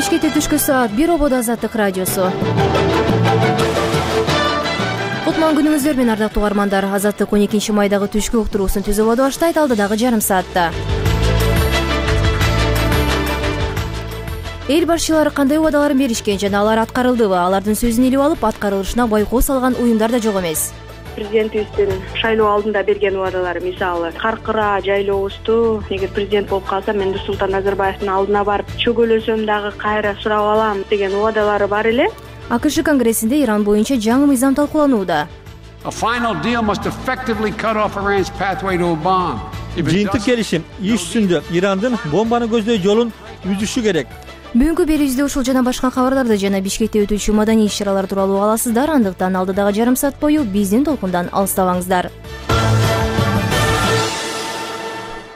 Бишкекте түшкү саат 1 ободо Азаттык радиосу. Кутман күнүңүздөр менен ардактуу угармандар. Азаттык 12 майдагы түшкү уктуруусун түзүп баштайт алдыдагы жарым саатта. Эл башчылары кандай убадаларын беришкен жана алар аткарылдыбы? Алардын сөзүн илип алып, аткарылышына байкоо салган уюмдар да жок эмес. Президентибиздин шайлоо алдында берген убадалары, мисалы Каркыра жайлообузду эгер президент болуп калса, мен Нурсултан Назарбаевдин алдына барып чөгөлөсөм дагы кайра сурап алам деген убадалары бар эле. АКШ конгрессинде Иран боюнча жаңы мыйзам талкууланууда. Жыйынтык келишим иш жүзүндө Ирандын бомбаны көздөй жолун үзүшү керек. Бүгүнкү берүүбүздө ушул жана башка кабарларды жана Бишкекте өтүүчү маданий иш-чаралар тууралуу аласыздар. Андыктан алдыдагы жарым саат бою биздин толкундан алыстабаңыздар.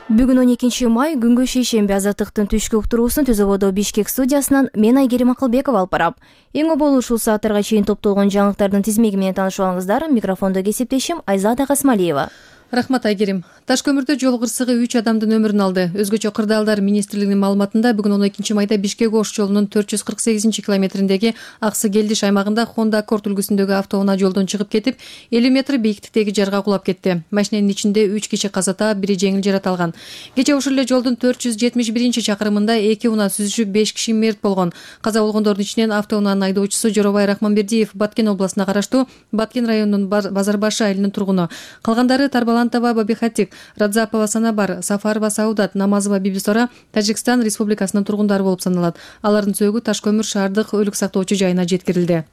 Бүгүн 12 май күнгө шейшемби. Азаттыктын түшкү уктуруусун Түзөбодо Бишкек студиясынан мен Айгерим Акылбекова алып барам. Эң оболу ушул сааттарга чейин топтолгон жаңылыктардын тизмеги менен таанышып алыңыздар. Микрофондо кесиптешим Айзада Касмалиева. Рахмат Айгерим. Таш көмүрдө жол кырсыгы 3 адамдын өмүрүн алды. Өзгөчө кырдаалдар министрлигинин маалыматында бүгүн 12 майда Бишкек Ош жолунун 448 километриндеги Аксы-Келдиш аймагында Honda Accord үлгүсүндөгү автоунаа жолдон чыгып кетип, 50 метр бийиктиктеги жарга кулап кетти. Машинанын ичинде 3 киши каза таап, бири жеңил жарат алган. Кечээ ушул эле жолдун 471-чакырымында 2 унаа сүзүшүп 5 киши мерт болгон. Каза болгондордун ичинен автоунаанын айдоочусу Жоробай Рахманбердиев Баткен областына караштуу Баткен районунун Базарбашы айылынын тургуну. Калгандары Тарбалантова Бабихатик, Радзапова Санабар, Сафарова Саудат, Намазова Бибисора Тажикстан Республикасынын тургундары болуп саналат. Алардын сөөгү Таш көмүр шаардык өлүк сактоочу жайына жеткирилди.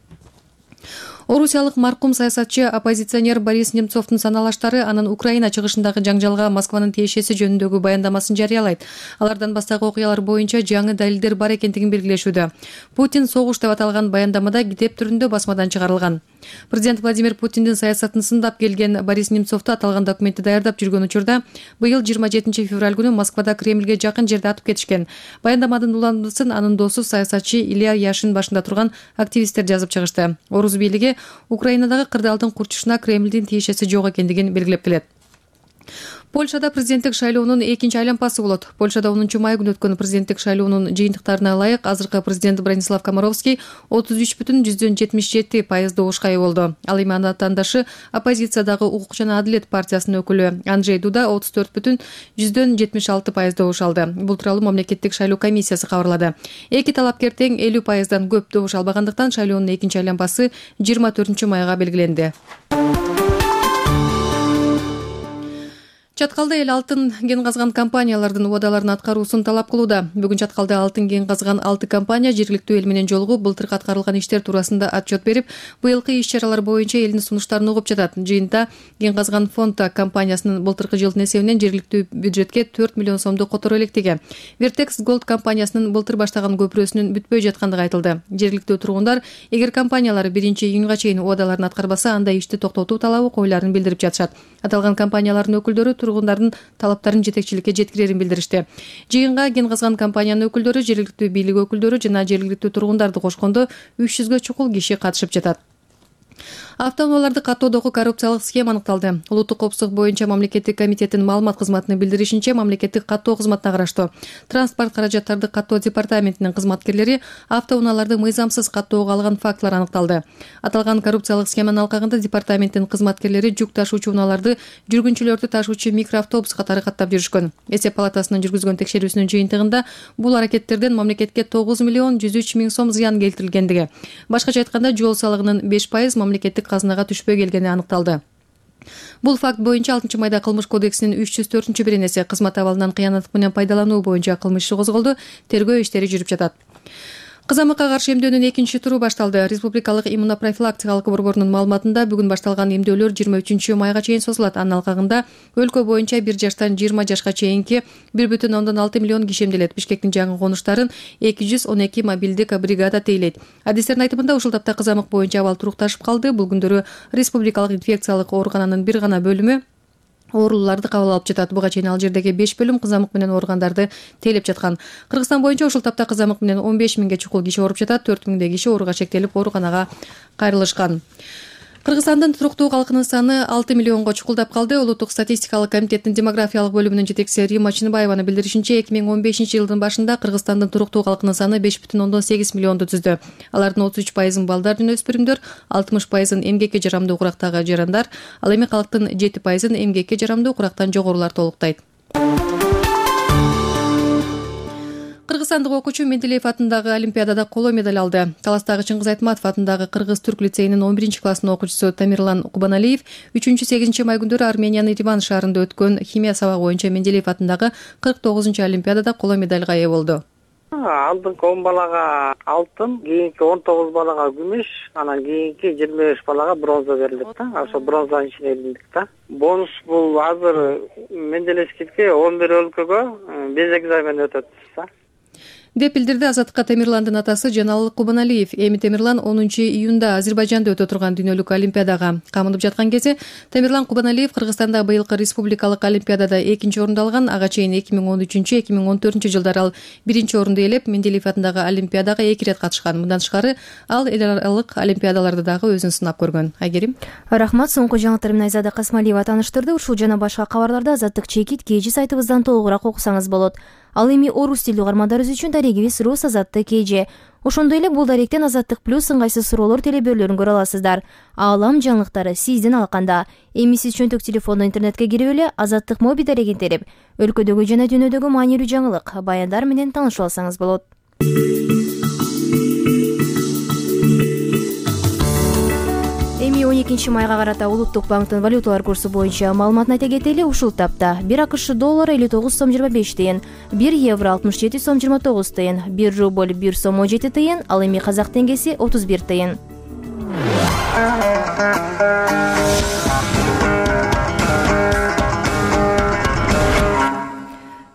Орусиялык маркум саясатчы оппозиционер Борис Немцовдун саналаштары анын Украина чыгышындагы жаңжалга Москванын тиешеси жөнүндөгү баяндамасын жарыялайт. Алардан баштагы окуялар боюнча жаңы далилдер бар экендигин белгилешүүдө. Путин согуш деп аталган баяндамада китеп түрүндө басмадан чыгарылган. Президент Владимир Путиндин саясатын сындап келген Борис Немцовду аталган документти даярдап жүргөн учурда быйыл 27 февраль күнү Москвада Кремльге жакын жерде атып кетишкен. Баяндаманын уландысын анын досу саясатчы Илья Яшин башында турган активисттер жазып чыгышты. Орус бийлиги Украинадагы кырдаалдын курчушуна Кремльдин тиешеси жок экендигин белгилеп келет. Польшада президенттик шайлоонун экинчи айланпасы болот. Польшада 10 май күнү өткөн президенттик шайлоонун жыйынтыктарына ылайык азыркы президент Бронислав Комаровский 33,77% добушка ээ болду. Ал эми анын атаандашы оппозициядагы Укук жана Адилет партиясынын өкүлү Анджей Дуда 34,76% добуш алды. Бул тууралуу мамлекеттик шайлоо комиссиясы кабарлады. Эки талапкер тең 50%дан көп добуш албагандыктан шайлоонун экинчи айланпасы 24 майга белгиленди. Чаткалда эл алтын кен казган компаниялардын убадаларын аткаруусун талап кылууда. Бүгүн Чаткалда алтын кен казган 6 компания жергиликтүү эл менен жолугуп, былтыркы аткарылган иштер туурасында отчет берип, быйылкы иш-чаралар боюнча элдин сунуштарын угуп жатат. Жыйынтыгында кен казган фонда компаниясынын былтыркы жылдын эсебинен жергиликтүү бюджетке 4 миллион сомду которо электиги. Vertex Gold компаниясынын былтыр баштаган көпүрөсүнүн бүтпөй жаткандыгы айтылды. Жергиликтүү тургундар эгер компаниялар 1-июнга чейин убадаларын аткарбаса, анда ишти токтотуу талабы коюларын билдирип жатышат. Аталган компаниялардын өкүлдөрү тургундардын талаптарын жетекчиликке жеткирерин билдиришти. Жыйынга кен казган компаниянын өкүлдөрү, жергиликтүү бийлик өкүлдөрү жана жергиликтүү тургундарды кошкондо 300гө чукул киши катышып жатат. Автоунааларды каттоодогу коррупциялык схема аныкталды. Улуттук коопсуздук боюнча мамлекеттик комитеттин маалымат кызматынын билдиришинче, мамлекеттик каттоо кызматына караштуу транспорт каражаттарды каттоо департаментинин кызматкерлери автоунааларды мыйзамсыз каттоого алган фактылар аныкталды. Аталган коррупциялык схеманын алкагында департаменттин кызматкерлери жүк ташуучу унааларды жүргүнчүлөрдү ташуучу микроавтобус катары каттап жүрүшкөн. Эсеп палатасынын жүргүзгөн текшерүүсүнүн жыйынтыгында бул аракеттерден мамлекетке 9 миллион 103 миң сом зыян келтирилгендиги, башкача айтканда жол салыгынын 5% мамлекеттик казынага түшпөй келгени аныкталды. Бул факт боюнча 6 майда Кылмыш кодексинин 304-беренеси кызмат абалынан кыянаттык менен пайдалануу боюнча кылмыш иши козголду. Тергөө иштери жүрүп жатат. Кызамыкка каршы эмдөөнүн экинчи туру башталды. Республикалык иммунопрофилактикалык борборунун маалыматында бүгүн башталган эмдөөлөр 23 майга чейин созулат. Анын алкагында өлкө боюнча 1 жаштан 20 жашка чейинки 1,6 миллион киши эмделет. Бишкектин жаңы конуштарын 212 мобилдик бригада тейлейт. Адистердин айтымында ушул тапта кызамык боюнча абал турукташып калды. Бул күндөрү республикалык инфекциялык оорукананын бир гана бөлүмү ооруларды кабыл алып жатат. Буга чейин ал жердеги 5 бөлүм кызамык менен ооругандарды тейлеп жаткан. Кыргызстан боюнча ушул тапта кызамык менен 15 миңге чукул киши ооруп жатат. 4 миңдей киши ооруга шектелип ооруканага кайрылышкан. Кыргызстандын туруктуу калкынын саны 6 миллионго чукулдап калды. Улуттук статистикалык комитеттин демографиялык бөлүмүнүн жетекчиси Римма Чыныбаеванын билдиришинче, 2015-жылдын башында Кыргызстандын туруктуу калкынын саны 5,8 миллионду түздү. Алардын 33% балдар жана өспүрүмдөр, 60% эмгекке жарамдуу курактагы жарандар, ал эми калктын 7% эмгекке жарамдуу курактан жогорулар толуктайт. Кыргызстандык окуучу Менделеев атындагы Олимпиадада коло медаль алды. Таластагы Чыңгыз Айтматов атындагы Кыргыз-Түрк лицейинин 11-классынын окуучусу Тамирлан Кубаналиев 3-8 май күндөрү Армениянын Ереван шаарында өткөн химия сабагы боюнча Менделеев атындагы 49-Олимпиадада коло медальга ээ болду. Алдыңкы 10 балага алтын, кийинки 19 балага күмүш, анан кийинки 25 балага бронза берилет да. Ошо бронзанын ичине илиндик да. Бонус бул азыр Менделеевскийге 11 өлкөгө без экзамен өтөт да. Деп билдирди Азаттыкка Тамирландын атасы Жанал Кубаналиев. Эми Тамирлан 10-июнда Азербайжанда өтө турган дүйнөлүк олимпиадага камынып жаткан кезде Тамирлан Кубаналиев Кыргызстанда быйылкы республикалык олимпиадада 2-орунду алган. Ага чейин 2013-2014 жылдары ал 1-орунду ээлеп, Менделеев атындагы олимпиадага 2 ирет катышкан. Мындан тышкары ал эл аралык олимпиадаларда дагы өзүн сынап көргөн. Айгерим. Рахмат. Соңку жаңылыктар менен Айзада Касмалиева тааныштырды. Ушул жана башка кабарларды Азаттык чекит KG сайтыбыздан толугураак окусаңыз болот. Ал эми орус тилдүү угармандарыбыз үчүн дарегибиз Рус Азаттык KG. Ошондой эле бул даректен Азаттык плюс ыңгайсыз суроолор телебөрлөрүн көрө аласыздар. Аалам жаңылыктары сиздин алаканда. Эми сиз чөнтөк телефондо интернетке кирип эле Азаттык моби дарегин терип, өлкөдөгү жана дүйнөдөгү маанилүү жаңылык, баяндар менен таанышып алсаңыз болот. Эми 12 майга карата Улуттук банктын валюталар курсу боюнча маалыматын айта кетели. Ушул тапта 1 АКШ доллары 59 сом 25 тыйын, 1 евро 67 сом 29 тыйын, 1 рубль 1 сом 17 тыйын, ал эми казак теңгеси 31 тыйын.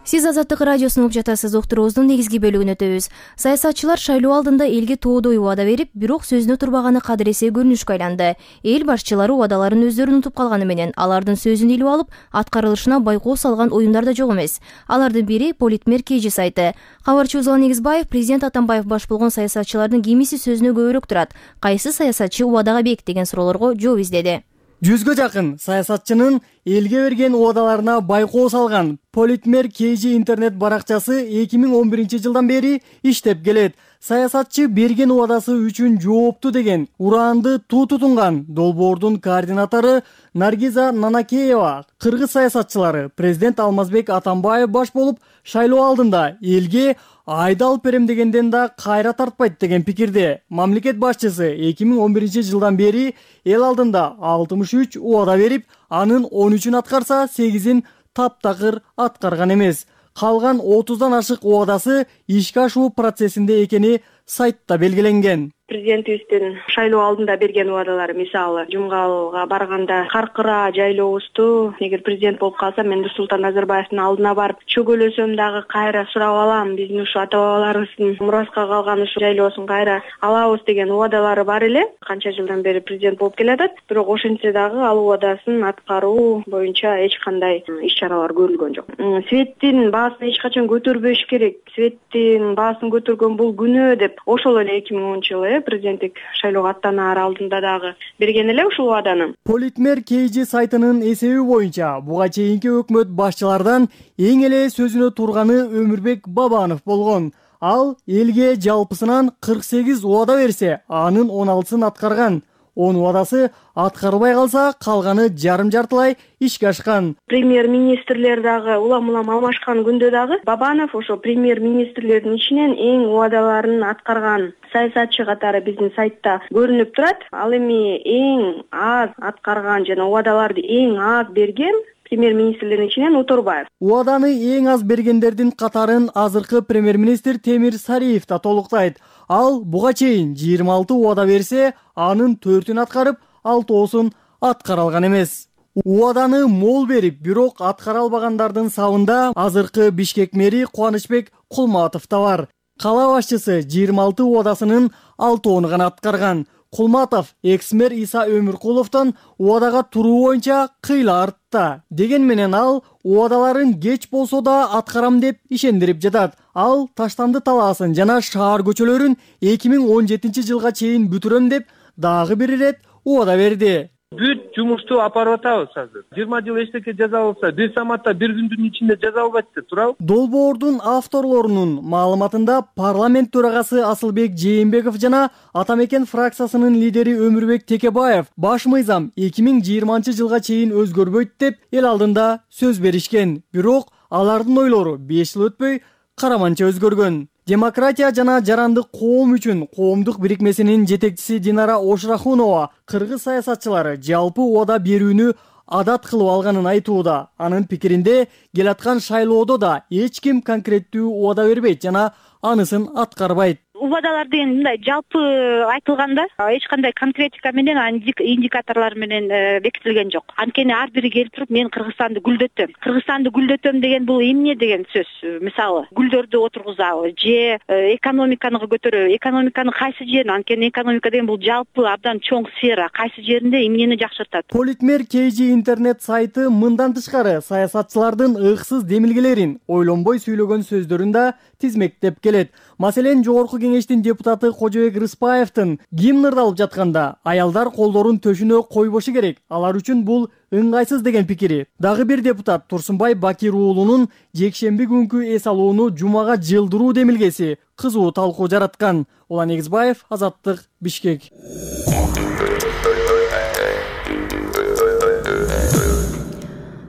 Сиз Азаттык радиосун угуп жатасыз. Уктуруубуздун негизги бөлүгүнө өтөбүз. Саясатчылар шайлоо алдында элге тоодой убада берип, бирок сөзүнө турбаганы кадыресе көрүнүшкө айланды. Эл башчылары убадаларын өздөрү унутуп калганы менен, алардын сөзүн илип алып, аткарылышына байкоо салган уюмдар да жок эмес. Алардын бири Политмер KG сайты. Кабарчыбыз Улан Негизбаев президент Атамбаев баш болгон саясатчылардын кимиси сөзүнө көбүрөөк турат, кайсы саясатчы убадага бекитеген суроолорго жооп издеди. 100гө жакын саясатчынын элге берген убадаларына байкоо салган Политмер KG интернет баракчасы 2011 жылдан бери иштеп келет. Саясатчы берген убадасы үчүн жоопту деген ураанды туу тутунган долбоордун координатору Наргиза Нанакеева кыргыз саясатчылары президент Алмазбек Атамбаев баш болуп шайлоо алдында элге айда алып берем дегенден да кайра тартпайт деген пикирде. Мамлекет башчысы 2011 жылдан бери эл алдында 63 убада берип, анын 13-ün аткарса, 8-ин таптакыр аткарган эмес. Калган 30дан ашык убадасы ишке ашуу процессинде экени сайтта белгиленген. Президентибиздин шайлоо алдында берген убадалары, мисалы Жумгалга барганда каркыра жайлообузду эгер президент болуп калсам, мен Нурсултан Назарбаевдин алдына барып чөгөлөсөм дагы кайра сурап алам, биздин ушу ата бабаларыбыздын мураска калган ушу жайлоосун кайра алабыз деген убадалары бар эле. Канча жылдан бери президент болуп келатат, бирок ошентсе дагы ал убадасын аткаруу боюнча эч кандай иш-чаралар көрүлгөн жок. Светтин баасын эч качан көтөрбөш керек. Светтин баасын көтөргөн бул күнөө деп ошол эле 2010 жылы президенттик шайлоого аттанаар алдында дагы берген эле ушул убаданы. Политмер KG сайтынын эсеби боюнча буга чейинки өкмөт башчылардан эң эле сөзүнө турганы Өмүрбек Бабанов болгон. Ал элге жалпысынан 48 убада берсе, анын 16сын аткарган. 10 убадасы аткарылбай калса, калганы жарым-жартылай ишке ашкан. Премьер-министрлер дагы улам-улам алмашкан күндө дагы Бабанов ошо премьер-министрлердин ичинен эң убадаларын аткарган саясатчы катары биздин сайтта көрүнүп турат. Ал эми эң аз аткарган жана убадаларды эң аз берген премьер-министрлердин ичинен Уторбаев. Убаданы эң аз бергендердин катарын азыркы премьер-министр Темир Сариев да толуктайт. Ал буга чейин 26 убада берсе, анын 4-ün аткарып, 6-оосун аткара алган эмес. Убаданы мол берип, бирок аткара албагандардын сабында азыркы Бишкек мэри Кубанычбек Кулматов да бар. Кала башчысы 26 убадасынын 6-ын гана аткарган. Кулматов экс-мэр Иса Өмүркуловдон убадага туруу боюнча кыйла артта. Деген менен ал убадаларын кеч болсо да аткарам деп ишендирип жатат. Ал Таштанды талаасын жана шаар көчөлөрүн 2017 жылга чейин бүтүрөм деп дагы бир ирет убада берди. Бүт жумушту алып барып атабыз азыр. 20 жыл эчтеке жаза болсо, бир саматта бир күндүн ичинде жаза албайт да турабы? Долбоордун авторлорунун маалыматында парламент төрагасы Асылбек Жээнбеков жана Атамекен фракциясынын лидери Өмүрбек Текебаев баш мыйзам 2020-жылга чейин өзгөрбөйт деп эл алдында сөз беришкен. Бирок алардын ойлору 5 жыл өтпөй караманча өзгөргөн. Демократия жана жарандык коом үчүн коомдук бирикмесинин жетекчиси Динара Ошрахунова кыргыз саясатчылары жалпы убада берүүнү адат кылып алганын айтууда. Анын пикиринде келаткан шайлоодо да эч ким конкреттүү убада бербейт жана анысын аткарбайт. Убадалар деген мындай жалпы айтылганда эч кандай конкретика менен индикаторлор менен бекитилген жок. Анткени ар бири келип туруп мен Кыргызстанды гүлдөтөм деген бул эмне деген сөз. Мисалы, гүлдөрдү отургузабы же экономиканы көтөрөбү, экономиканы кайсы жерин, анткени экономика деген бул жалпы абдан чоң сфера, кайсы жеринде эмнени жакшыртат. Политмер KG интернет сайты мындан тышкары саясатчылардын ыксыз демилгелерин, ойлонбой сүйлөгөн сөздөрүн да тизмектеп келет. Маселен, жогорку кеңештин депутаты Кожобек Рыспаевдин гимн ырдалып жатканда аялдар колдорун төшүнө койбошу керек, алар үчүн бул ыңгайсыз деген пикири. Дагы бир депутат Турсунбай Бакир уулунун жекшемби күнкү эс алууну жумага жылдыруу демилгеси кызуу талкуу жараткан. Улан Эгизбаев, Азаттык, Бишкек.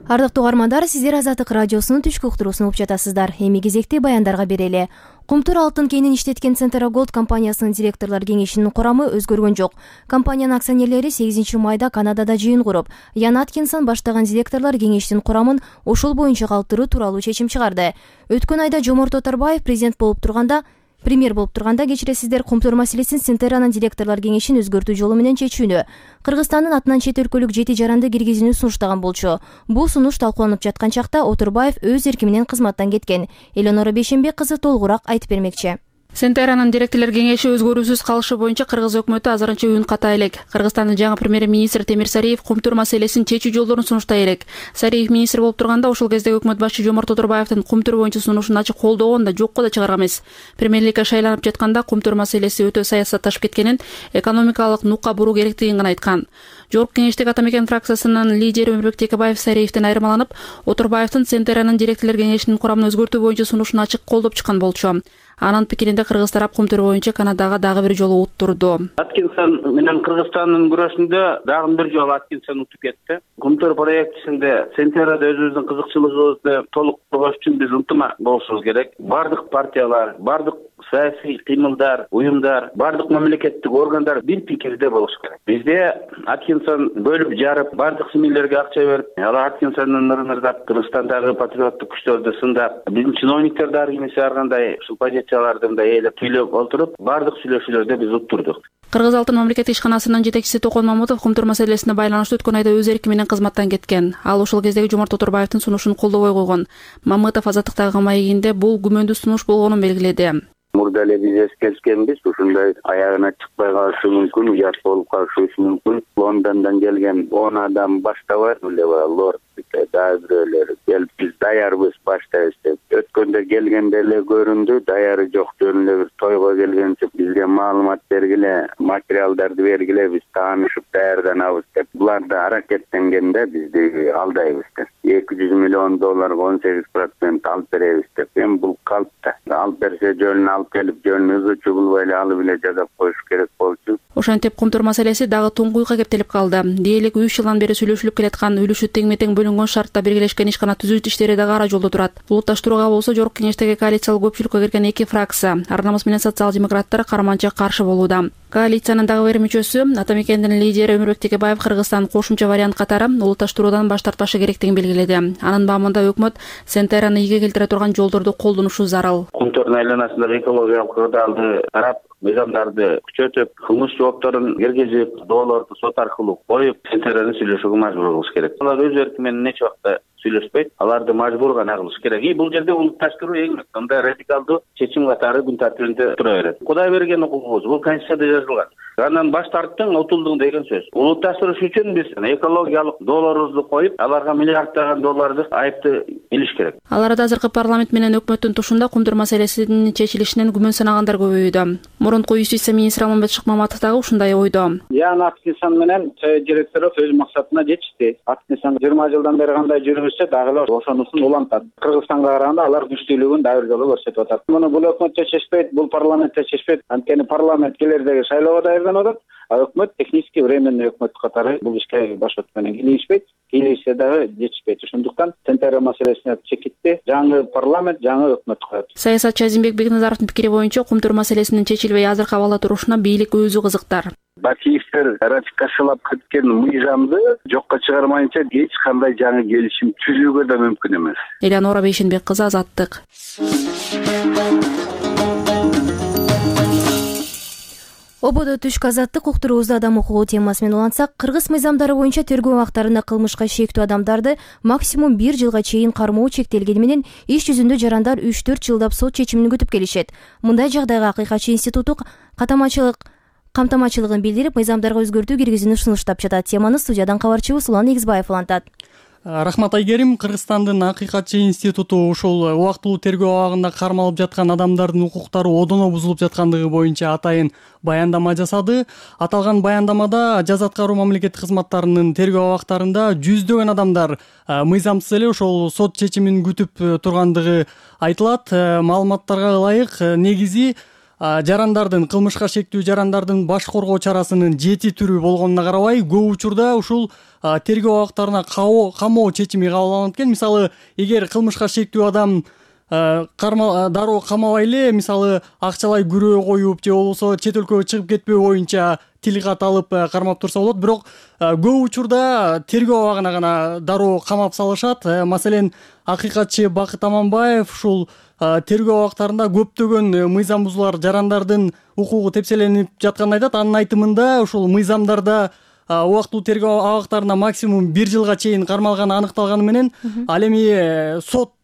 Ардактуу угармандар, сиздер Азаттык радиосунун түшкү уктуруусун угуп жатасыздар. Эми кезекти баяндарга берели. Кумтур алтын кенин иштеткен Центра Голд компаниясынын директорлор кеңешинин курамы өзгөргөн жок. Компаниянын акционерлери 8 майда Канадада жыйын куруп, Ян Аткинсон баштаган директорлор кеңештин курамын ошол боюнча калыптыруу тууралуу чечим чыгарды. Өткөн айда Жоморт Оторбаев премьер болуп турганда кечиресиздер, Кумтур маселесин Центеранын директорлор кеңешин өзгөртүү жолу менен чечүүнү, Кыргызстандын атынан чет өлкөлүк 7 жаранды киргизүүнү сунуштаган болчу. Бул сунуш талкууланып жаткан чакта Оторбаев өз эрки менен кызматтан кеткен. Элеонора Бейшембек кызы толугураак айтып бермекчи. Центеранын директорлор кеңеши өзгөрүүсүз калышы боюнча кыргыз өкмөтү азырынча үн ката элек. Кыргызстандын жаңы премьер-министри Темир Сариев Кумтур маселесин чечүү жолдорун сунуштай элек. Сариев министр болуп турганда ошол кездеги өкмөт башчы Жоморт Оторбаевдин Кумтур боюнча сунушун ачык колдогон да, жокко да чыгарган эмес. Премьерликке шайланып жатканда Кумтур маселеси өтө саясатташып кеткенин, экономикалык нукка буруу керектигин гана айткан. Жогорку кеңештеги Атамекен фракциясынын лидери Өмүрбек Текебаев Сариевден айырмаланып, Оторбаевдин Центеранын директорлор кеңешинин курамын өзгөртүү боюнча сунушун ачык колдоп чыккан болчу. Анын пикиринде кыргыз тарап Кумтур боюнча Канадага дагы бир жолу уттурду. Аткинсон менен Кыргызстандын күрөшүндө дагы бир жолу Аткинсон утуп кетти. Кумтур проектисинде Центерада өзүбүздүн кызыкчылыгыбызды толук кылыш үчүн биз ынтымак болушубуз керек. Бардык партиялар, бардык саясий кыймылдар, уюмдар, бардык мамлекеттик органдар бир пикирде болуш керек. Бизде Аткинсон бөлүп жарып, бардык семьялерге акча берип, алар Аткинсондун нырын ырдап, Кыргызстандагы патриоттук күчтөрдү сындап, биздин чиновниктер дагы кимиси ар кандай ушул позицияларды мындай ээлеп сүйлөп олтуруп, бардык сүйлөшүүлөрдө биз уттурдук. Кыргыз алтын мамлекеттик ишканасынын жетекчиси Токон Мамутов Кумтур маселесине байланыштуу өткөн айда өз эрки менен кызматтан кеткен. Ал ошол кездеги Жоморт Оторбаевдин сунушун колдобой койгон. Мамутов Азаттыктагы маегинде бул күмөндүү сунуш болгонун белгиледи. Мурда эле биз эскерткенбиз, ушундай аягына чыкпай калышы мүмкүн, жат болуп калышы мүмкүн. Лондондон келген 10 адам баштабайт эле лорд дагы бирөөлөр келип биз даярбыз баштайбыз деп. Өткөндө келгенде эле көрүндү, даяры жок, жөн эле бир тойго келгенче бизге маалымат бергиле, материалдарды бергиле, биз таанышып даярданабыз деп. Булар да аракеттенгенде бизди алдайбыз деп. $200 миллион 18% алып беребиз деп. Эми бул калпта. Алып берсе жөнүн алып келип, жөнүн ызычу кылбай эле алып эле жазап коюш керек болчу. Ошентип Кумтур маселеси дагы туңгуйга кептелип калды. Дээрлик 3 жылдан бери сүйлөшүлүп келаткан үлүшү теңме-тең бөлүнгөн шартта белгилешкен ишкана түзүүт иштери дагы ара жолдо турат. Булутташтырууга болсо жогорку кеңештеги коалициялык көпчүлүккө кирген 2 фракция, Ар намыс менен социал-демократтар карманча каршы болууда. Коалициянын дагы бир мүчөсү, Атамекендин лидери Өмүрбек Текебаев Кыргызстан кошумча вариант катары улутташтыруудан баш тартпашы керектигин белгиледи. Анын баамында өкмөт Центераны ийге келтире турган жолдорду колдонушу зарыл. Кумтурдун айланасындагы экологиялык кырдаалды карап, мыйзамдарды күчөтүп, кылмыш жоопторун киргизип, доолорду сот аркылуу коюп, Центераны сүйлөшүүгө мажбур кылыш керек. Алар өз эрки менен нече убакта сүйлөшпөйт, аларды мажбур гана кылыш керек. Бул жерде улутташтыруу эң мындай радикалдуу чечим катары күн тартибинде тура берет. Кудай берген укугубуз, бул Конституцияда жазылган. Андан баш тарттың, утулдуң деген сөз. Улутташтырыш үчүн биз экологиялык долларыбызды коюп, аларга миллиарддаган долларды айыпты билиш керек. Ал арада азыркы парламент менен өкмөттүн тушунда кумтур маселесинин чечилишинен күмөн санагандар көбөйүүдө. Мурунку юстиция министри Алмамбет Шыкмаматов дагы ушундай ойдо. Акнисан менен директору өз максатына жетишти. Акнисан 20 жылдан бери кандай жүрүп дагы эле ошонусун улантат. Кыргызстанга караганда алар күчтүүлүгүн дагы бир жолу көрсөтүп атат. Муну бул өкмөт чечишпейт, бул парламент чечишпейт. Анткени парламент келердеги шайлоого даярданып атат, а өкмөт технически временный өкмөт катары бул ишке башат менен кийлигишпейт. Кийлигишсе дагы жетишпейт. Ошондуктан Центр маселесине чекитти. Жаңы парламент, жаңы өкмөт коет. Саясатчы Азимбек Бекназаровдун пикири боюнча кумтур маселесинин чечилбей азыр кабала турушуна бийлик өзү кызыктар. Бакиевдер ратификациялап кеткен мыйзамды жокко чыгармайынча эч кандай жаңы келишим түзүүгө да мүмкүн эмес. Элеонора Бейшенбек кызы, Азаттык. Ободо түшкү азаттык уктуруубузду адам укугу темасы менен улантсак, кыргыз мыйзамдары боюнча тергөө убактарында кылмышка шектүү адамдарды максимум 1 жылга чейин кармоо чектелгени менен иш жүзүндө жарандар 3-4 жылдап сот чечимин күтүп келишет. Мындай жагдайга Акыйкатчы институту камтамачылыгын билдирип, мыйзамдарга өзгөртүү киргизүүнү сунуштап жатат. Теманы студиядан кабарчыбыз Улан Эгизбаев улантат. Рахмат Айгерим. Кыргызстандын Акыйкатчы институту ушул убактылуу тергөө абагында кармалып жаткан адамдардын укуктары одоно бузулуп жаткандыгы боюнча атайын баяндама жасады. Аталган баяндамада жаза аткаруу мамлекеттик кызматтарынын тергөө абактарында жүздөгөн адамдар мыйзамсыз эле ошол сот чечимин күтүп тургандыгы айтылат. Маалыматтарга ылайык, негизи жарандардын, кылмышка шектүү жарандардын баш коргоо чарасынын 7 түрү болгонуна карабай, көп учурда ушул тергөө абактарына камоо чечими кабыл алынат экен. Мисалы, эгер кылмышка шектүү адам дароо камабай эле, мисалы, акчалай күрөө коюп же болбосо чет өлкөгө чыгып кетпөө боюнча тилкат алып кармап турса болот. Бирок көп учурда тергөө абагына гана дароо камап салышат. Маселен, Акыйкатчы Бакыт Аманбаев ушул тергөө абактарында көптөгөн мыйзам бузуулар, жарандардын укугу тепселенип жатканын айтат. Анын айтымында ушул мыйзамдарда убактылуу тергөө абактарында максимум 1 жылга чейин кармалганы аныкталганы менен, ал эми сот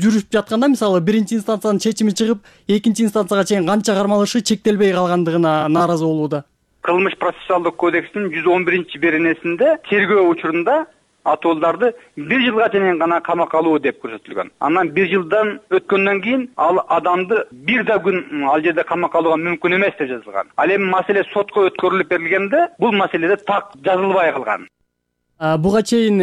жүрүп жатканда, мисалы, биринчи инстанциянын чечими чыгып, экинчи инстанцияга чейин канча кармалышы чектелбей калгандыгына нааразы болууда. Кылмыш процессуалдык кодекстин 111-беренесинде тергөө учурунда атуулдарды 1 жылга чейин гана камакка алуу деп көрсөтүлгөн. Анан 1 жылдан өткөндөн кийин ал адамды бир да күн ал жерде камакка алууга мүмкүн эмес деп жазылган. Ал эми маселе сотко өткөрүлүп берилгенде бул маселеде так жазылбай калган. Буга чейин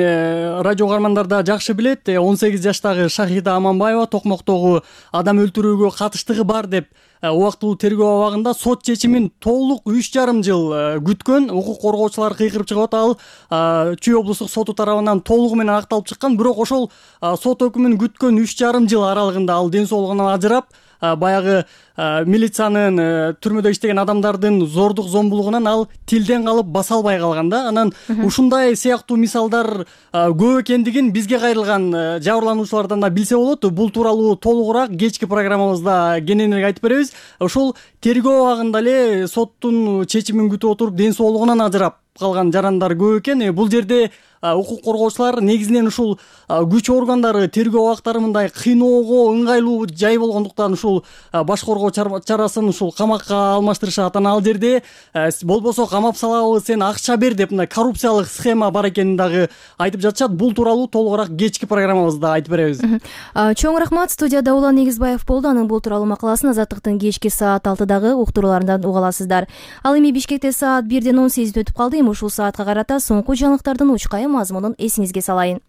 радио угармандар да жакшы билет, 18 жаштагы Шахида Аманбаева Токмоктогу адам өлтүрүүгө катыштыгы бар деп убактылуу тергөө абагында сот чечимин толук 3,5 жыл күткөн. Укук коргоочулар кыйкырып чыгып атат. Ал Чүй облустук соту тарабынан толугу менен акталып чыккан, бирок ошол сот өкүмүн күткөн 3,5 жыл аралыгында ал ден соолугунан ажырап, баягы милициянын түрмөдө иштеген адамдардын зордук зомбулугунан ал тилден калып баса албай калган да. Анан ушундай сыяктуу мисалдар көп экендигин бизге кайрылган жабырлануучулардан да билсе болот. Бул тууралуу толугураак кечки программабызда кененирээк айтып беребиз. Ошол тергөө абагында эле соттун чечимин күтүп отуруп ден соолугунан ажырап калган жарандар көп экен. Бул жерде укук коргоочулар негизинен ушул күч органдары тергөө абактары мындай кыйноого ыңгайлуу жай болгондуктан ушул баш коргоо чарасын ушул камакка алмаштырышат. Анан ал жерде болбосо камап салабыз, сен акча бер деп мындай коррупциялык схема бар экенин дагы айтып жатышат. Бул тууралуу толугураак кечки программабызда айтып беребиз. Чоң рахмат. Студияда Улан Эгизбаев болду. Анын бул тууралуу макаласын Азаттыктын кечки саат 6-дагы уктурууларынан уга аласыздар. Ал эми Бишкекте саат 1:18 өтүп калды. Эми ушул саатка карата соңку жаңылыктардын учкайы мазмунун эсиңизге салайын.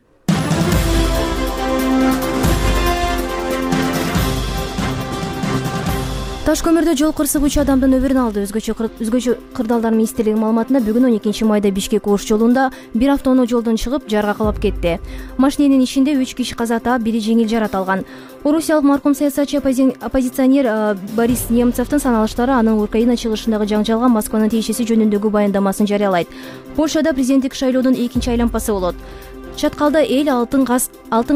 Таш көмүрдө жол кырсык 3 адамдын өмүрүн алды. Өзгөчө кырдаалдар министрлигинин маалыматында бүгүн 12 майда Бишкек Ош жолунда бир автоунаа жолдон чыгып жарга кулап кетти. Машиненин ичинде 3 киши каза таап, бири жеңил жарат алган. Орусиялык маркум саясатчы оппозиционер Борис Немцевдин саналыштары анын Украина чыгышындагы жаңжалга Москванын тиешеси жөнүндөгү баяндамасын жарыялайт. Польшада президенттик шайлоодун экинчи айланпасы болот. Чаткалда эл алтын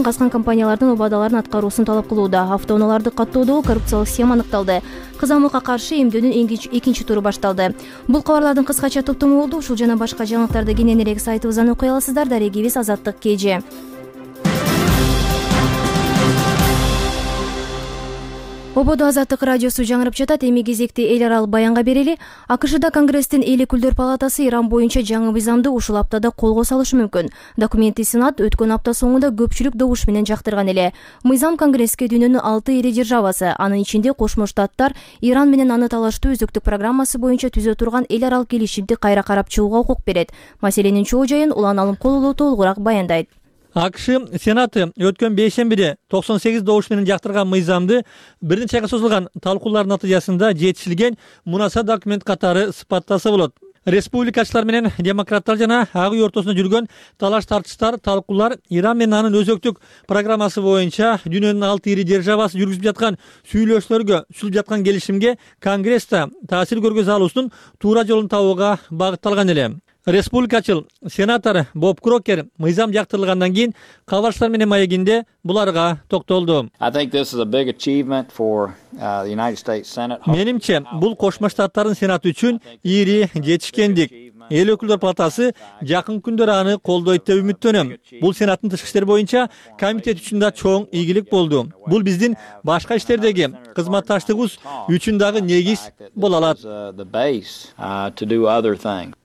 каскан компаниялардын убадаларын аткаруусун талап кылууда. Автоунааларды каттоодогу коррупциялык схема аныкталды. Кызамыкка каршы эмдөөнүн экинчи туру башталды. Бул кабарлардын кыскача топтому болду. Ушул жана башка жаңылыктарды кененирээк сайтыбыздан окуй аласыздар. Дарегибиз Азаттык KG. Ободо Азаттык радиосу жаңырып жатат. Эми кезекти эл аралык баянга берели. АКШда Конгресстин эл өкүлдөр палатасы Иран боюнча жаңы мыйзамды ушул аптада колго салышы мүмкүн. Документти Сенат өткөн апта соңунда көпчүлүк добуш менен жактырган эле. Мыйзам Конгресске дүйнөнүн 6 ири державасы, анын ичинде Кошмо Штаттар, Иран менен аны талаштуу өзөктүк программасы боюнча түзө турган эл аралык келишимди кайра карап чыгууга укук берет. Маселенин чоо жайын Улан Алымкулуу толугураак баяндайт. АКШ Сенаты өткөн бейшембиде 98 добуш менен жактырган мыйзамды бир нече айга созулган талкуулар натыйжасында жетишилген мунаса документ катары сыпаттаса болот. Республикачылар менен демократтар жана ак үй ортосунда жүргөн талаш тартыштар, талкуулар Иран менен анын өзөктүк программасы боюнча дүйнөнүн 6 ири державасы жүргүзүп jaткан сүйлөшүүлөргө, сүйлөп жаткан келишимге Конгрессте таасир көргөзө алуусунун туура жолун табууга багытталган эле. Республикачыл сенатор Боб Крокер мыйзам жактырылгандан кийин кабарчылар менен маегинде буларга токтолду. Менимче, бул Кошмо Штаттардын Сенаты үчүн ири жетишкендик. Эл өкүлдөр палатасы жакын күндөр аны колдойт деп үмүттөнөм. Бул Сенаттын тышкы иштер боюнча комитет үчүн да чоң ийгилик болду. Бул биздин башка иштердеги кызматташтыгыбыз үчүн дагы негиз боло алат.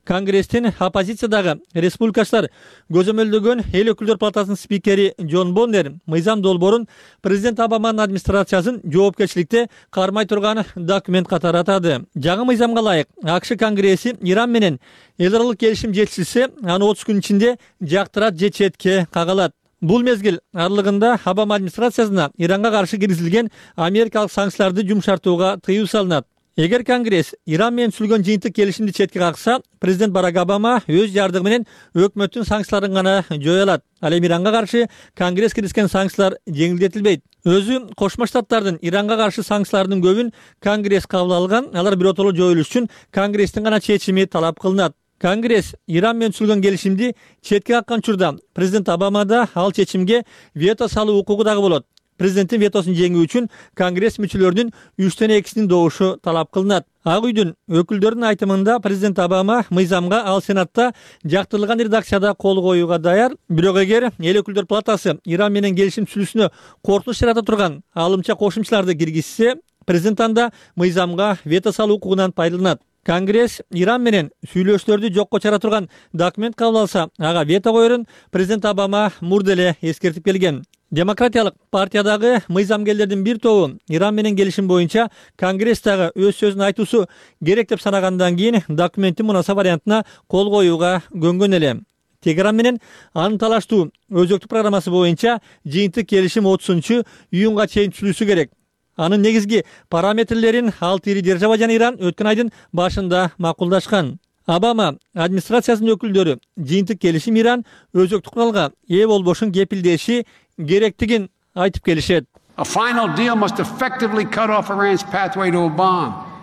Конгресстин оппозициядагы республикачылар көзөмөлдөгөн эл өкүлдөр палатасынын спикери Джон Боннер мыйзам долбоорун президент Обаманын администрациясын жоопкерчиликте кармай турган документ катары атады. Жаңы мыйзамга ылайык АКШ Конгресси Иран менен эл аралык келишим жетишилсе, аны 30 күн ичинде жактырат же четке кагалат. Бул мезгил аралыгында Обама администрациясына Иранга каршы киргизилген америкалык санкцияларды жумшартууга тыюу салынат. Эгер Конгресс Иран менен түзүлгөн жыйынтык келишимди четке какса, президент Барак Обама өз жардыгы менен өкмөттүн санкцияларын гана жое алат. Ал эми Иранга каршы Конгресс киргизген санкциялар жеңилдетилбейт. Өзү Кошмо Штаттардын Иранга каршы санкцияларынын көбүн Конгресс кабыл алган, алар биротоло жоюлуш үчүн Конгресстин гана чечими талап кылынат. Конгресс Иран менен түзүлгөн келишимди четке каккан учурда президент Обамада ал чечимге вето салуу укугу дагы болот. Президенттин ветосун жеңүү үчүн Конгресс мүчөлөрүнүн 3төн 2синин добушу талап кылынат. Ак үйдүн өкүлдөрүнүн айтымында президент Обама мыйзамга ал Сенатта жактырылган редакцияда кол коюуга даяр. Бирок эгер эл өкүлдөр палатасы Иран менен келишим түзүлүүсүнө коркунуч жарата турган алымча кошумчаларды киргизсе, президент анда мыйзамга вето салуу укугунан пайдаланат. Конгресс Иран менен сүйлөшүүлөрдү жокко чыгара турган документ кабыл алса, ага вето коерун президент Обама мурда эле эскертип келген. Демократиялык партиядагы мыйзамгерлердин бир тобу Иран менен келишим боюнча Конгресстагы өз сөзүн айтуусу керек деп санагандан кийин документтин мунаса вариантына кол коюуга көнгөн эле. Тегеран менен анын талаштуу өзөктүк программасы боюнча жыйынтык келишим 30-июнга чейин түзүлүшү керек. Анын негизги параметрлерин 6 ири держава жана Иран өткөн айдын башында макулдашкан. Обама администрациясынын өкүлдөрү жыйынтык келишим Иран өзөктүк куралга ээ болбошун кепилдеши керектигин айтып келишет.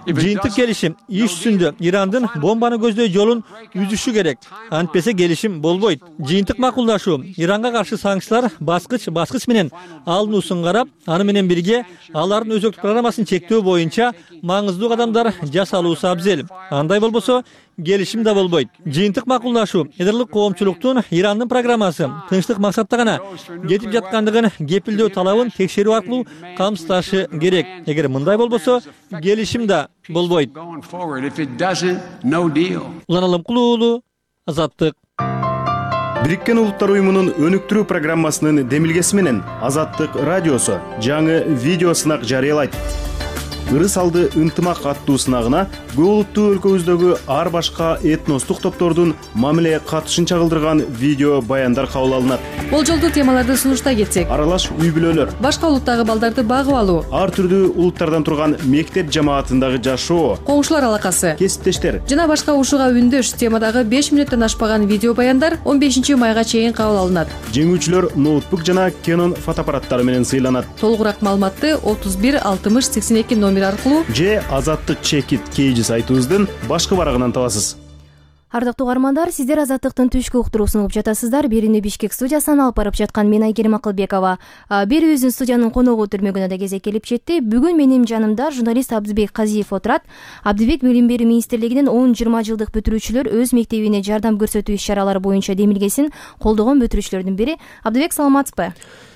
Жыйынтык келишим иш жүзүндө Ирандын бомбаны көздөй жолун үзүшү керек. Антпесе келишим болбойт. Жыйынтык макулдашуу Иранга каршы санкциялар баскыч менен алынуусун карап, аны менен бирге алардын өзөктүк программасын чектөө боюнча маңыздуу кадамдар жасалуусу абзел. Андай болбосо келишим да болбойт. Жыйынтык макулдашуу эдерлик коомчулуктун Ирандын программасы тынчтык максатта гана кетип жаткандыгын кепилдөө талабын текшерүү аркылуу камсыздашы керек. Эгер мындай болбосо келишим да болбойт. Улан Алымкулуу уулу, Азаттык. Бириккен Улуттар уюмунун өнүктүрүү программасынын демилгеси менен Азаттык радиосу жаңы видео сынак жарыялайт. Ырыс алды ынтымак аттуу сынагына көп улуттуу өлкөбүздөгү ар башка этностук топтордун мамиле катышын чагылдырган видео баяндар кабыл алынат. Болжолдуу темаларды сунуштай кетсек: аралаш үй бүлөлөр, башка улуттагы балдарды багып алуу, ар түрдүү улуттардан турган мектеп жамаатындагы жашоо, коңшулар алакасы, кесиптештер жана башка ушуга үндөш темадагы 5 мүнөттөн ашпаган видео баяндар 15 майга чейин кабыл алынат. Жеңүүчүлөр ноутбук жана Canon фотоаппараттары менен сыйланат. Толугураак маалыматты 31 60 82 номер аркылуу же Азаттык чекит кейжи сайтыбыздын башкы барагынан табасыз. Ардактуу угармандар, сиздер Азаттыктын түшкү уктуруусун угуп жатасыздар. Берүүнү Бишкек студиясынан алып барып жаткан мен Айгерим Акылбекова. Берүүбүздүн студиянын коногу өтүрмөгүнө да кезек келип жетти. Бүгүн менин жанымда журналист Абдыбек Казиев отурат. Абдыбек Билим берүү министрлигинин 10-20 жылдык бүтүрүүчүлөр өз мектебине жардам көрсөтүү иш-чаралары боюнча демилгесин колдогон бүтүрүүчүлөрдүн бири. Абдыбек, саламатсызбы?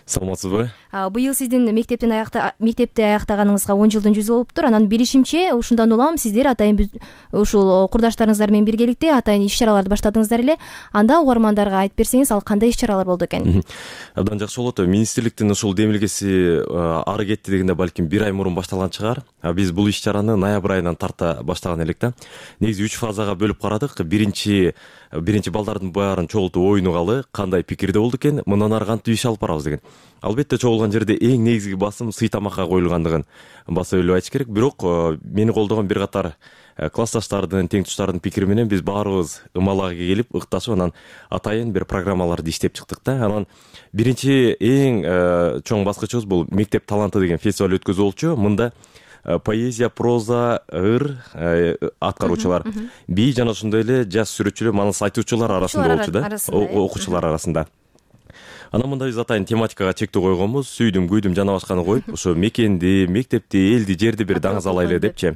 Саламатсызбы? Быйыл сиздин мектепти аяктаганыңызга 10 жылдын жүзү болуптур. Анан билишимче ушундан улам сиздер атайын ушул курдаштарыңыздар менен биргеликте атайын иш-чараларды баштадыңыздар эле. Анда угармандарга айтып берсеңиз, ал кандай иш-чаралар болду экен? Абдан жакшы болот. Министрликтин ушул демилгеси ары кетти дегенде балким 1 ай мурун башталган чыгар. Биз бул иш-чараны ноябрь айынан тарта баштаган элек да. Негизи 3 фазага бөлүп карадык. Биринчи балдардын баарын чогултуп оюнугалы, кандай пикирде болду экен, мындан ары кантип иш алып барабыз деген. Албетте чогулган жерде эң негизги басым сый тамакка коюлгандыгын баса өлүп айтыш керек. Бирок мени колдогон бир катар классташтардын, тең туштардын пикири менен биз баарыбыз ымалага келип, ыкташып, анан атайын бир программаларды иштеп чыктык да. Анан биринчи эң чоң баскычыбыз бул мектеп таланты деген фестиваль өткөзүү болчу. Мында поэзия, проза, ыр аткаруучулар, би жана ошондой эле жаш сүрөтчүлөр, манас айтуучулар арасында болчу да, окуучулар арасында. Анан мында биз атайын тематикага чектөө койгонбуз. Сүйдүм, күйдүм жана башканы коюп, ошо мекенди, мектепти, элди, жерди бир даңыз алайлы депчи.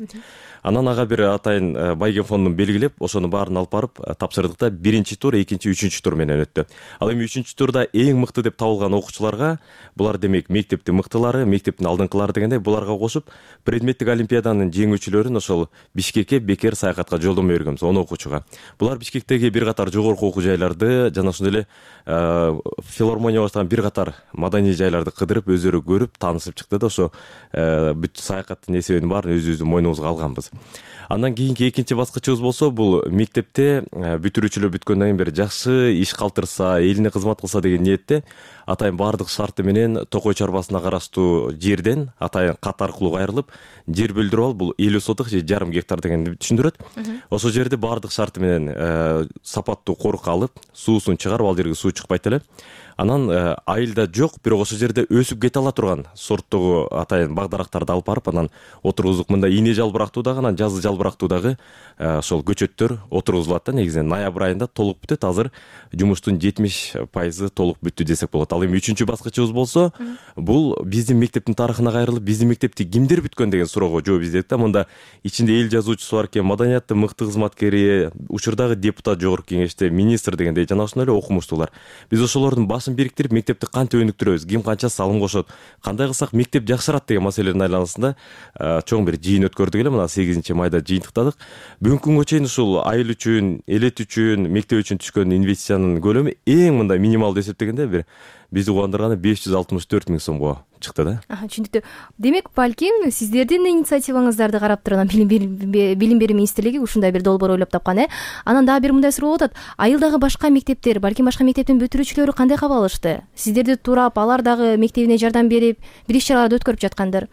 Анан ага бир атайын Байген фондун белгилеп, ошону баарын алып барып тапшырдык да. Биринчи тур, экинчи, үчүнчү тур менен өттү. Ал эми үчүнчү турда эң мыкты деп табылган окуучуларга, булар демек мектептин мыктылары, мектептин алдыңкылары дегендей, буларга кошуп предметтик олимпиаданын жеңүүчүлөрүн ошол Бишкекке бекер саякатка жолдомо бергенбиз 10 окуучуга. Булар Бишкектеги бир катар жогорку окуу жайларды жана ошондой эле филармония баштаган бир катар маданий жайларды кыдырып, өздөрү көрүп, таанышып чыкты да. Ошо бүт саякаттын эсебин баарын өзүбүздүн мойнубузга алганбыз. Андан кийинки экинчи баскычыбыз болсо, бул мектепте бүтүрүүчүлөр бүткөндөн кийин бир жакшы иш калтырса, элине кызмат кылса деген ниетте атайын баардык шарты менен Токой чарбасына караштуу жерден атайын кат аркылуу кайрылып, жер бөлдүрүп алып, бул 50 соток же жарым гектар дегенди түшүндүрөт. Ошол жерде баардык шарты менен сапаттуу корукка алып, суусун чыгарып, ал жерге суу чыкпайт эле. Анан айылда жок, бирок ошол жерде өсүп кете ала турган сорттогу атайын багдарактарды алып барып, анан отургузуп. Мында ийне жалбырактуудагы, анан жазы жалбырактуудагы ошол көчөттөр отургузулат да. Негизинен ноябрь айында толук бүтөт. Азыр жумуштун 70% толук бүттү десек болот. Ал эми үчүнчү баскычыбыз болсо, бул биздин мектептин тарыхына кайрылып, биздин мектепти кимдер бүткөн деген суроого жооп издедик да. Мында ичинде эл жазуучусу бар экен, маданияттын мыкты кызматкери, учурдагы депутат жогорку кеңеште, министр дегендей жана ошондой эле окумуштуулар. Биз ошолордун бириктирип, мектепти кантип өнүктүрөбүз, ким канча салым кошот, кандай кылсак мектеп жакшырат деген маселелердин айланасында чоң бир жыйын өткөрдүк эле. Мына 8 майда жыйынтыктадык. Бүгүнкү күнгө чейин ушул айыл үчүн, элет үчүн, мектеп үчүн түшкөн инвестициянын көлөмү эң мындай минималдуу эсептегенде бир бизди кубандырганы 564 000 сомго чыкты да. Түшүнүктүү. Демек, балким сиздердин инициативаңыздарды карап турган билим берүү министрлиги ушундай бир долбоор ойлоп тапкан, Анан дагы бир мындай суроо болот. Айылдагы башка мектептер, балким башка мектептин бүтүрүүчүлөрү кандай кабыл алышты? Сиздерди турап, алар дагы мектебине жардам берип, бир иш-чараларды өткөрүп жаткандыр.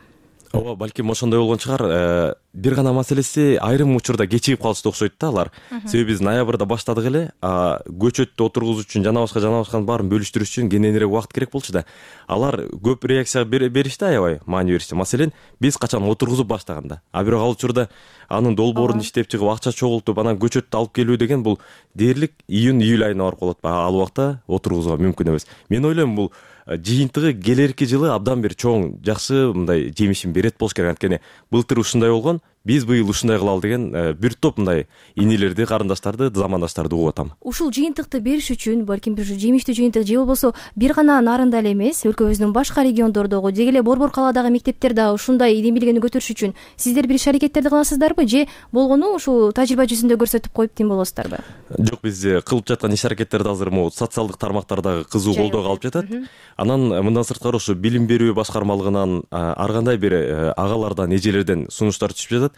Ооба, балким ошондой болгон чыгар. Бир гана маселеси, айрым учурда кечигип калышты окшойт да алар. Себеби биз ноябрда баштадык эле, көчөттү отургузуу үчүн жана башканын баарын бөлүштүрүш үчүн кененирээк убакыт керек болчу да. Алар көп реакция беришти, аябай маани беришти. Маселен, биз качан отургузуп баштаганда. Бирок ал учурда анын долбоорун иштеп чыгып, акча чогултуп, анан көчөттү алып келүү деген бул дээрлик июнь-июль айына барып калат. Ал убакта отургузууга мүмкүн эмес. Мен ойлойм, бул жыйынтыгы келерки жылы абдан бир чоң, жакшы мындай жемишин берет болуш керек. Анткени былтыр ушундай болгон, биз быйыл ушундай кылалы деген бир топ мындай инилерди, карындаштарды, замандаштарды угуп атам. Ушул жыйынтыкты бериш үчүн, балким бир жемиштүү жыйынтык же болбосо бир гана нарында эле эмес, өлкөбүздүн башка региондордогу, деги эле Борбор калаадагы мектептер дагы ушундай демилгени көтөрүш үчүн сиздер бир иш-аракеттерди кыласыздарбы же болгону ушул тажрыйба жүзүндө көрсөтүп коюп тим болосуздарбы? Жок, биз кылып жаткан иш-аракеттерди азыр могу социалдык тармактардагы кызуу колдоого алып жатат. Анан мындан сырткары ошо билим берүү башкармалыгынан ар кандай бир агалардан, эжелерден сунуштар түшүп жатат.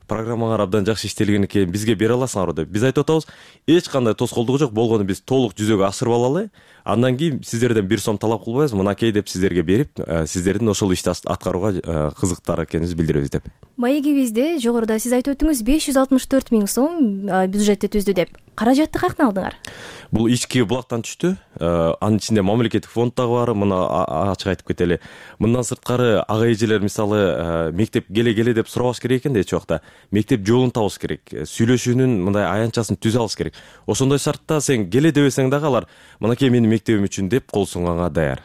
Программаңар абдан жакшы иштелген экен, бизге бере аласыңарбы деп. Биз айтып атабыз, эч кандай тоскоолдугу жок, болгону биз толук жүзөгө ашырып алалы. Андан кийин сиздерден 1 сом талап кылбайбыз, мынакей деп сиздерге берип, сиздердин ошол ишти аткарууга кызыктар экенибизди билдиребиз деп. Маегибизде жогоруда сиз айтып өттүңүз 564 000 сом бюджетти түздү деп. Каражатты каяктан алдыңар? Бул ички булактан түштү. Анын ичинде мамлекеттик фонд дагы бар. Муну ачык айтып кетели. Мындан сырткары ага эжелер мисалы мектеп келе деп сурабаш керек экен да эч убакта. Мектеп жолун табыш керек. Сүйлөшүүнүн мындай аянтчасын түзө алыш керек. Ошондой шартта сен келе дебесең дагы алар мынакей менин мектебим үчүн деп кол сунганга даяр.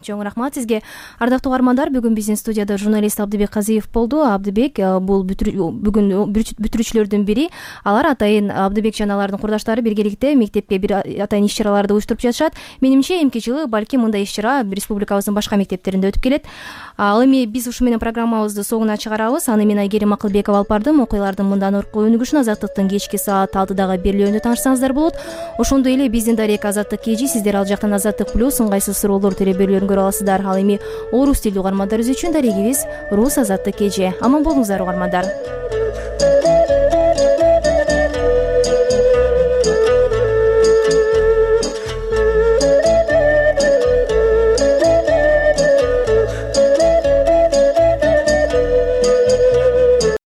Чоң рахмат сизге. Ардактуу угармандар, бүгүн биздин студияда журналист Абдыбек Казиев болду. Абдыбек бул бүгүн бүтүрүүчүлөрдүн бири. Алар атайын Абдыбек жана алардын курдаштары биргеликте мектепке бир атайын иш-чараларды уюштуруп жатышат. Менимче эмки жылы балким мындай иш-чара республикабыздын башка мектептеринде өтүп келет. Ал эми биз ушу менен программабызды соңуна чыгарабыз. Аны мен Айгерим Акылбекова алып бардым. Окуялардын мындан орку өнүгүшүн Азаттыктын кечки саат 6дагы берилүүндө таанышсаңыздар болот. Ошондой эле биздин Дарек Азаттык KG, сиздер ал жактан Азаттык Плюс ыңгайсыз суроолор берүүлөрүн көрө аласыздар. Ал эми орус тилдүү угармандарыбыз үчүн дарегибиз Рус Азаттык KG. Аман болуңуздар угармандар.